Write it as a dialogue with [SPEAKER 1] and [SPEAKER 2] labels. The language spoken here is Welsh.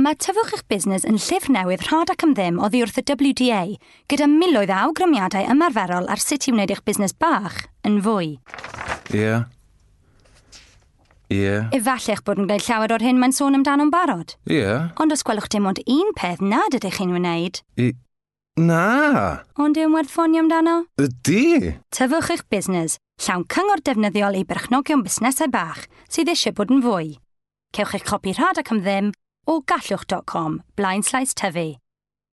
[SPEAKER 1] Mae Tyfwch Eich Busnes yn llyfr newydd rhad ac am ddim oddi wrth y WDA, gyda miloedd o awgrymiadau ymarferol ar sut i wneud eich busnes bach yn fwy.
[SPEAKER 2] Ie. Ie.
[SPEAKER 1] Efallai eich bod yn gwneud llawer o'r hyn mae'n sôn amdano'n barod.
[SPEAKER 2] Ie.
[SPEAKER 1] Ond os gwelwch dim ond un peth nad ydych chi'n wneud,
[SPEAKER 2] I... Na!
[SPEAKER 1] Ond yw'n werth ffonio amdano?
[SPEAKER 2] Ydy!
[SPEAKER 1] Tyfwch Eich Busnes, llawn cyngor defnyddiol i berchnogion busnesau bach sydd eisiau bod yn fwy. Cewch eich copi rhad ac am ddim o gallwch.com blaenslaes tyfu.